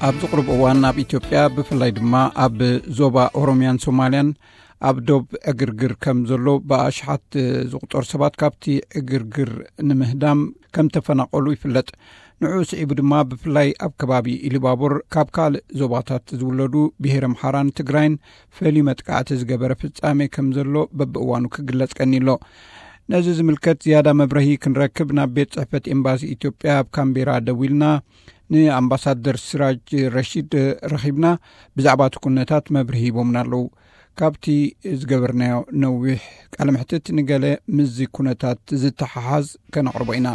ኣብዚ ቅሩብ እዋን ኣብ ኢትዮጵያ፣ ብፍላይ ድማ ኣብ ዞባ ኦሮምያን ሶማልያን፣ ኣብ ዶብ ዕግርግር ከም ዘሎ ብኣሽሓት ዝቑጸሩ ሰባት ካብቲ ዕግርግር ንምህዳም ከም ተፈናቐሉ ይፍለጥ። ንዕኡ ስዒቡ ድማ፣ ብፍላይ ኣብ ከባቢ ኢሉባቡር፣ ካብ ካልእ ዞባታት ዝውለዱ ብሄረ ኣምሓራን ትግራይን ፈልዩ መጥቃዕቲ ዝገበረ ፍጻሜ ከም ዘሎ በብእዋኑ ክግለጽ ቀኒሎ። ነዚ ዝምልከት ዝያዳ መብረሂ ክንረክብ ናብ ቤት ጽሕፈት ኤምባሲ ኢትዮጵያ ኣብ ካምቤራ ደዊልና፣ ንኣምባሳደር ሲራጅ ረሺድ ረኺብና፣ ብዛዕባ እቲ ኩነታት መብርሂ ሂቦምና ኣለዉ። ካብቲ ዝገበርናዮ ነዊሕ ቃለ መሕትት ንገለ ምስዚ ኩነታት ዝተሓሓዝ ከነቕርቦ ኢና።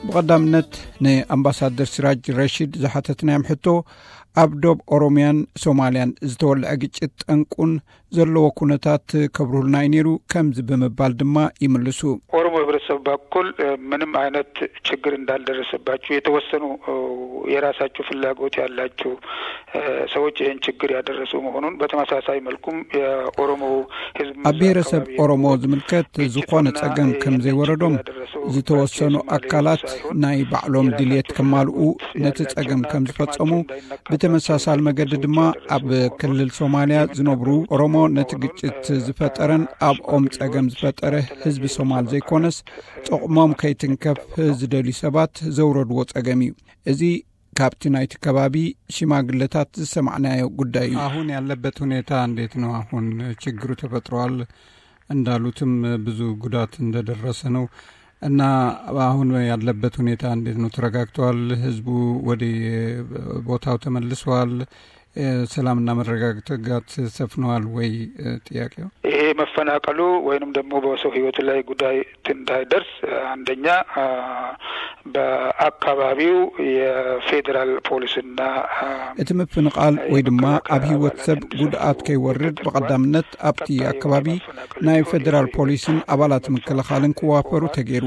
ብቐዳምነት ንኣምባሳደር ሲራጅ ረሺድ ዝሓተትናዮም ሕቶ፣ ኣብ ዶብ ኦሮምያን ሶማልያን ዝተወልዐ ግጭት ጠንቁን ዘለዎ ኩነታት ከብርሁልና እዩ ነይሩ፣ ከምዚ ብምባል ድማ ይምልሱ። ኦሮሞ ህብረተሰብ በኩል፣ እ፣ ምንም አይነት ችግር እንዳልደረሰባቸው፣ የተወሰኑ፣ እ፣ የራሳቸው ፍላጎት ያላቸው፣ እ፣ ሰዎች ይህን ችግር ያደረሱ መሆኑን፣ በተመሳሳይ መልኩም የኦሮሞ ህዝብ ኣብ ብሔረሰብ ኦሮሞ ዝምልከት ዝኾነ ጸገም ከም ዘይወረዶም፣ ዝተወሰኑ ኣካላት ናይ ባዕሎም ድልየት ከማልኡ ነቲ ጸገም ከም ዝፈጸሙ፣ ብተመሳሳል መገዲ ድማ ኣብ ክልል ሶማልያ ዝነብሩ ኦሮሞ ነቲ ግጭት ዝፈጠረን ኣብኦም ጸገም ዝፈጠረ ህዝቢ ሶማል ዘይኮነስ፣ ጥቕሞም ከይትንከፍ ዝደልዩ ሰባት ዘውረድዎ ጸገም እዩ። እዚ ካብቲ ናይቲ ከባቢ ሽማግለታት ዝሰማዕናዮ ጉዳይ እዩ። አሁን ያለበት ሁኔታ እንዴት ነው? አሁን ችግሩ ተፈጥሯል፣ እንዳሉትም ብዙ ጉዳት እንደደረሰ ነው። እና አሁን ያለበት ሁኔታ እንዴት ነው? ተረጋግቷል? ህዝቡ ወደ ቦታው ተመልሷል? እ፣ ሰላምና መረጋጋት ሰፍነዋል ወይ? እ፣ ጥያቄው ይሄ መፈናቀሉ ወይንም ደግሞ በሰው ህይወት ላይ ጉዳት እንዳይደርስ፣ አንደኛ፣ አ፣ በአካባቢው የፌዴራል ፖሊስና፣ አ፣ እቲ ምፍንቓል ወይ ድማ ኣብ ህይወት ሰብ ጉድኣት ከይወርድ፣ ብቐዳምነት ኣብቲ ኣከባቢ ናይ ፌዴራል ፖሊስን ኣባላት ምክልኻልን ክዋፈሩ ተገይሩ።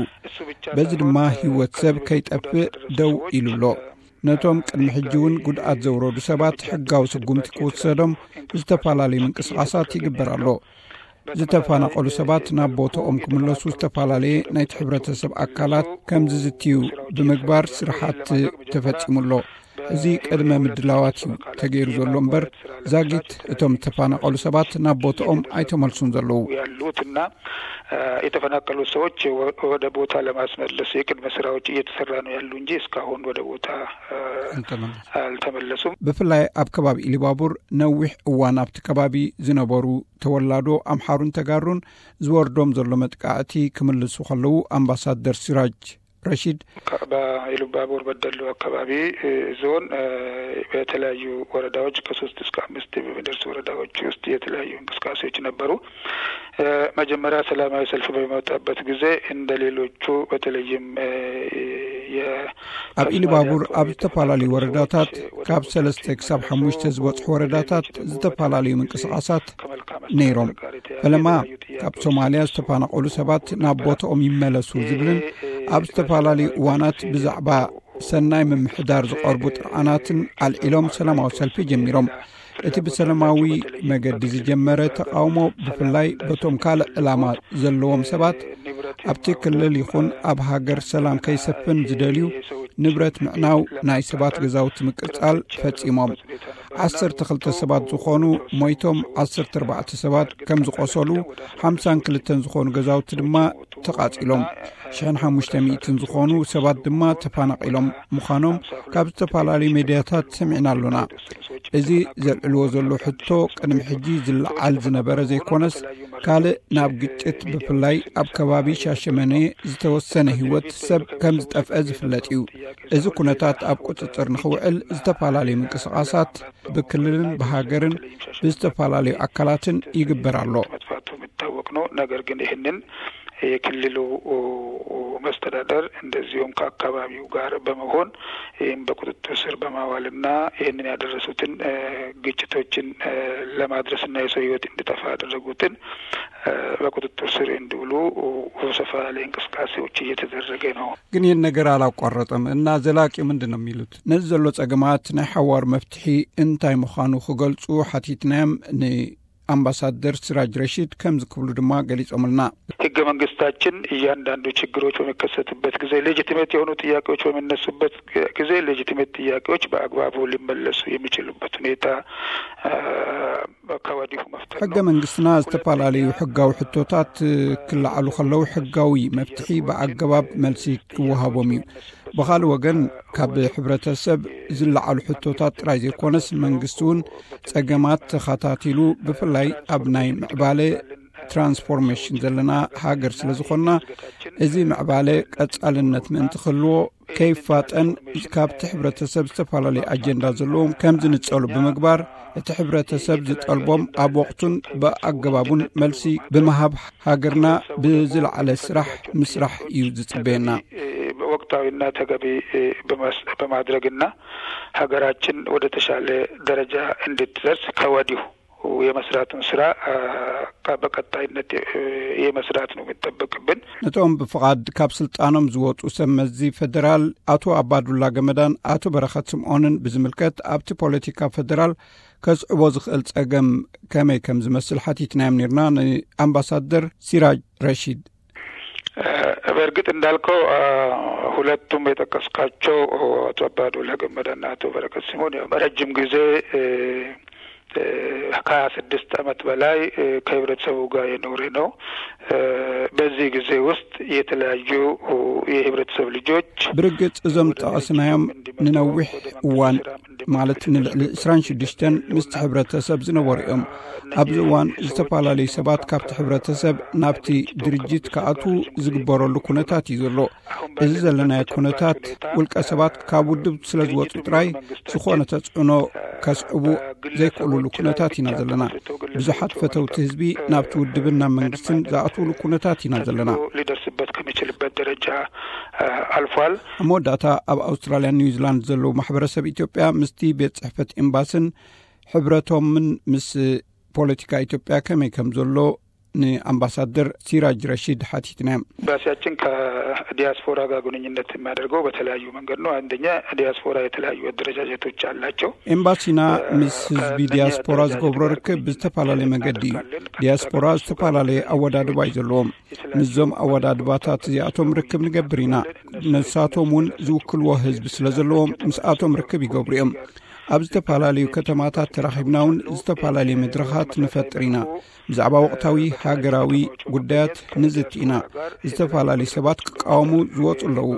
በዚ ድማ ህይወት ሰብ ከይጠፍእ ደው ኢሉ ኣሎ። ነቶም ቅድሚ ሕጂ እውን ጉድኣት ዘውረዱ ሰባት ሕጋዊ ስጉምቲ ክውሰዶም ዝተፈላለዩ ምንቅስቓሳት ይግበር ኣሎ። ዝተፈናቐሉ ሰባት ናብ ቦታኦም ክምለሱ ዝተፈላለየ ናይቲ ሕብረተሰብ ኣካላት ከም ዝዝትዩ ብምግባር ስራሓት ተፈጺሙ ኣሎ። እዚ ቅድመ ምድላዋት እዩ ተገይሩ ዘሎ እምበር፣ ዛጊት እቶም ዝተፈናቐሉ ሰባት ናብ ቦታኦም ኣይተመልሱን ዘለዉ። ያሉትና፣ እ፣ የተፈናቀሉ ሰዎች ወ-፣ ወደ ቦታ ለማስመለስ የቅድመ ስራዎች እየተሰራ ነው ያሉ እንጂ እስካሁን ወደ ቦታ፣ እ፣ አልተመለሱም። አልተመለሱም። ብፍላይ ኣብ ከባቢ ኢሊባቡር ነዊሕ እዋን ኣብቲ ከባቢ ዝነበሩ ተወላዶ ኣምሓሩን ተጋሩን ዝወርዶም ዘሎ መጥቃዕቲ ክምልሱ ከለዉ፣ ኣምባሳደር ሲራጅ ረሺድ ከ-፣ በኢሉባቡር በደሉ አካባቢ፣ እ፣ ዞን፣ እ፣ በተለያዩ ወረዳዎች ከሶስት እስከ አምስት በሚደርሱ ወረዳዎች ውስጥ የተለያዩ እንቅስቃሴዎች ነበሩ። እ፣ መጀመሪያ ሰላማዊ ሰልፍ በሚወጣበት ጊዜ እንደ ሌሎቹ በተለይም፣ እ፣ የ-፣ ኣብ ኢሉባቡር ኣብ ዝተፈላለዩ ወረዳታት ካብ ሰለስተ ክሳብ ሓሙሽተ ዝበጽሑ ወረዳታት ዝተፈላለዩ ምንቅስቓሳት ነይሮም። ፈለማ ካብ ሶማልያ ዝተፈናቐሉ ሰባት ናብ ቦታኦም ይመለሱ ዝብልን ኣብ ዝተፈላለዩ እዋናት ብዛዕባ ሰናይ ምምሕዳር ዝቐርቡ ጥርዓናትን ኣልዒሎም ሰላማዊ ሰልፊ ጀሚሮም። እቲ ብሰላማዊ መገዲ ዝጀመረ ተቃውሞ ብፍላይ በቶም ካልእ ዕላማ ዘለዎም ሰባት ኣብቲ ክልል ይኹን ኣብ ሃገር ሰላም ከይሰፍን ዝደልዩ ንብረት ምዕናው፣ ናይ ሰባት ገዛውቲ ምቅጻል ፈጺሞም። ዓሰርተ ክልተ ሰባት ዝኾኑ ሞይቶም፣ ዓሰርተ ኣርባዕተ ሰባት ከም ዝቆሰሉ፣ ሓምሳን ክልተን ዝኾኑ ገዛውቲ ድማ ተቓጺሎም፣ ሽሕን ሓሙሽተ ሚእትን ዝኾኑ ሰባት ድማ ተፈናቒሎም ምዃኖም ካብ ዝተፈላለዩ ሜድያታት ሰሚዕና ኣሎና። እዚ ዘልዕልዎ ዘሎ ሕቶ ቅድሚ ሕጂ ዝለዓል ዝነበረ ዘይኮነስ፣ ካልእ ናብ ግጭት ብፍላይ ኣብ ከባቢ ሻሸመኔ ዝተወሰነ ህይወት ሰብ ከም ዝጠፍአ ዝፍለጥ እዩ። እዚ ኩነታት ኣብ ቁጽጽር ንኽውዕል ዝተፈላለዩ ምንቅስቓሳት ብክልልን ብሃገርን ብዝተፈላለዩ ኣካላትን ይግበር ኣሎ። መጥፋቱ የሚታወቅ ነው። ነገር ግን ይህንን የክልሉ መስተዳደር እንደዚሁም ከአካባቢው ጋር በመሆን ይህም በቁጥጥር ስር በማዋልና ይህንን ያደረሱትን፣ እ፣ ግጭቶችን፣ እ፣ ለማድረስና የሰው ህይወት እንዲጠፋ ያደረጉትን፣ እ፣ በቁጥጥር ስር እንዲውሉ ሰፋ ያለ እንቅስቃሴዎች እየተደረገ ነው። ግን ይህን ነገር አላቋረጠም እና ዘላቂው ምንድን ነው የሚሉት? ነዚ ዘሎ ጸገማት ናይ ሓዋር መፍትሒ እንታይ ምዃኑ ክገልጹ ሓቲትናዮም። ን ኣምባሳደር ሲራጅ ረሺድ ከምዚ ክብሉ ድማ ገሊጾምልና። ህገ መንግስታችን እያንዳንዱ ችግሮች በሚከሰትበት ጊዜ፣ ሌጂቲሜት የሆኑ ጥያቄዎች በሚነሱበት ጊዜ ሌጂቲሜት ጥያቄዎች በአግባቡ ሊመለሱ የሚችሉበት ሁኔታ ከወዲሁ መፍጠር ሕገ ነው። መንግስትና ዝተፈላለዩ ሕጋዊ ሕቶታት ክለዓሉ ከለዉ ሕጋዊ መፍትሒ ብኣገባብ መልሲ ክወሃቦም እዩ። ብኻልእ ወገን፣ ካብ ሕብረተሰብ ዝለዓሉ ሕቶታት ጥራይ ዘይኮነስ፣ መንግስቲ እውን ጸገማት ተኸታቲሉ፣ ብፍላይ ኣብ ናይ ምዕባለ ትራንስፎርሜሽን ዘለና ሃገር ስለ ዝኾንና፣ እዚ ምዕባለ ቀጻልነት ምእንቲ ክህልዎ፣ ከይፋጠን፣ ካብቲ ሕብረተሰብ ዝተፈላለዩ ኣጀንዳ ዘለዎም ከም ዝንጸሉ ብምግባር፣ እቲ ሕብረተሰብ ዝጠልቦም ኣብ ወቕቱን ብኣገባቡን መልሲ ብምሃብ፣ ሃገርና ብዝለዓለ ስራሕ ምስራሕ እዩ ዝጽበየና። ወቅታዊና ተገቢ በማስ-፣ በማድረግና ሀገራችን ወደ ተሻለ ደረጃ እንድትደርስ ከወዲሁ የመስራቱን ስራ፣ አ፣ በቀጣይነት፣ እ፣ የመስራት ነው የሚጠበቅብን። ነቶም ብፍቓድ ካብ ስልጣኖም ዝወጹ ሰብ መዚ ፌደራል ኣቶ ኣባዱላ ገመዳን ኣቶ በረኸት ስምዖንን ብዝምልከት፣ ኣብቲ ፖለቲካ ፌደራል ከስዕቦ ዝኽእል ጸገም ከመይ ከም ዝመስል ሓቲትናዮም ነርና ንኣምባሳደር ሲራጅ ረሺድ። እ፣ በእርግጥ እንዳልከው፣ አ፣ ሁለቱም የጠቀስካቸው፣ አቶ አባዱላ ገመዳና አቶ በረከት ስምኦን፣ ያው በረጅም ጊዜ፣ እ፣ እ፣ ከሀያ ስድስት ዓመት በላይ፣ እ፣ ከህብረተሰቡ ጋር የኖረ ነው። እ፣ በዚህ ጊዜ ውስጥ የተለያዩ የህብረተሰብ ልጆች ብርግጽ እዞም ዝጠቐስናዮም ንነዊሕ እዋን፣ ማለት ንልዕሊ ዕስራን ሽዱሽተን ምስቲ ሕብረተሰብ ዝነበሩ እዮም። ኣብዚ እዋን ዝተፈላለዩ ሰባት ካብቲ ሕብረተሰብ ናብቲ ድርጅት ክኣትዉ ዝግበረሉ ኩነታት እዩ ዘሎ። እዚ ዘለናዮ ኩነታት፣ ውልቀ ሰባት ካብ ውድብ ስለ ዝወጹ ጥራይ ዝኾነ ተጽዕኖ ከስዕቡ ዘይክእሉሉ ኩነታት ኢና ዘለና። ብዙሓት ፈተውቲ ህዝቢ ናብቲ ውድብን ናብ መንግስትን ዝኣትውሉ ኩነታት ኢና ዘለና። ሊደርስበት ከሚችልበት ደረጃ፣ አ፣ አልፏል። ኣብ መወዳእታ፣ ኣብ ኣውስትራልያን ኒውዚላንድ ዘለዉ ማሕበረሰብ ኢትዮጵያ ምስቲ ቤት ጽሕፈት ኤምባስን ሕብረቶምን ምስ ፖለቲካ ኢትዮጵያ ከመይ ከም ዘሎ ንኣምባሳደር ሲራጅ ረሺድ ሓቲትናዮም። ኤምባሲያችን ከዲያስፖራ ጋር ግንኙነት የሚያደርገው በተለያዩ መንገድ ነው። አንደኛ፣ ዲያስፖራ የተለያዩ አደረጃጀቶች አላቸው። ኤምባሲና ምስ ህዝቢ ዲያስፖራ ዝገብሮ ርክብ ብዝተፈላለየ መገዲ እዩ። ዲያስፖራ ዝተፈላለየ ኣወዳድባ እዩ ዘለዎም። ምስዞም ኣወዳድባታት እዚኣቶም ርክብ ንገብር ኢና። ንሳቶም እውን ዝውክልዎ ህዝቢ ስለ ዘለዎም፣ ምስኣቶም ርክብ ይገብሩ እዮም። ኣብ ዝተፈላለዩ ከተማታት ተራኺብና እውን ዝተፈላለዩ መድረኻት ንፈጥር ኢና። ብዛዕባ ወቕታዊ ሃገራዊ ጉዳያት ንዝቲ ኢና። ዝተፈላለዩ ሰባት ክቃወሙ ዝወጹ ኣለዉ።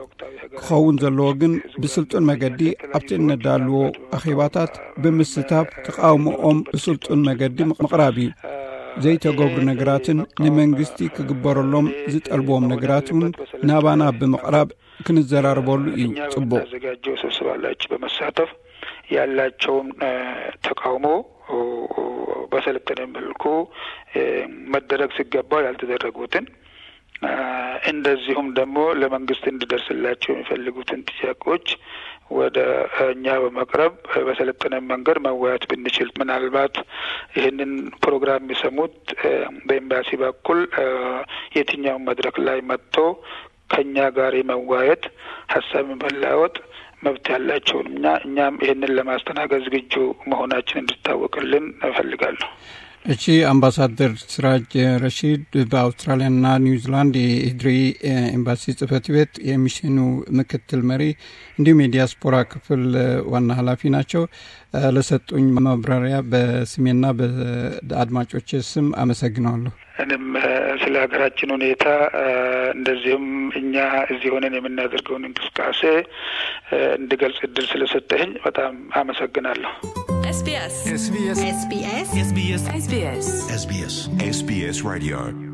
ክኸውን ዘለዎ ግን ብስልጡን መገዲ ኣብቲ እነዳልዎ ኣኼባታት ብምስታፍ ተቃውሞኦም ብስልጡን መገዲ ምቕራብ እዩ። ዘይተገብሩ ነገራትን ንመንግስቲ ክግበረሎም ዝጠልብዎም ነገራት እውን ናባና ብምቕራብ ክንዘራረበሉ እዩ ጽቡቕ። የምናዘጋጀው ስብሰባ ላይ በመሳተፍ ያላቸውን፣ እ፣ ተቃውሞ፣ እ፣ በሰለጠነ መልኩ፣ እ፣ መደረግ ሲገባው ያልተደረጉትን፣ እ፣ እንደዚሁም ደግሞ ለመንግስት እንዲደርስላቸው የሚፈልጉትን ጥያቄዎች ወደ እኛ በመቅረብ በሰለጠነ መንገድ መወያየት ብንችል፣ ምናልባት ይህንን ፕሮግራም የሚሰሙት፣ እ፣ በኤምባሲ በኩል፣ እ፣ የትኛውም መድረክ ላይ መጥቶ ከኛ ጋር የመወያየት፣ ሀሳብ የመለዋወጥ መብት ያላቸውን እኛ፣ እኛም ይህንን ለማስተናገድ ዝግጁ መሆናችን እንዲታወቅልን እፈልጋለሁ። እሺ፣ ኣምባሳደር ሲራጅ ረሺድ፣ በኣውስትራልያና ኒውዚላንድ የኢህድሪ ኤምባሲ ጽህፈት ቤት የሚሽኑ ምክትል መሪ እንዲሁም የዲያስፖራ ክፍል ዋና ኃላፊ ናቸው። ለሰጡኝ ማብራሪያ በስሜና በአድማጮች ስም አመሰግናለሁ። እኔም፣ እ፣ ስለ ሀገራችን ሁኔታ፣ እ፣ እንደዚሁም እኛ እዚህ ሆነን የምናደርገውን እንቅስቃሴ፣ እ፣ እንድገልጽ እድል ስለሰጠኸኝ በጣም አመሰግናለሁ። SBS SBS SBS SBS SBS SBS Radio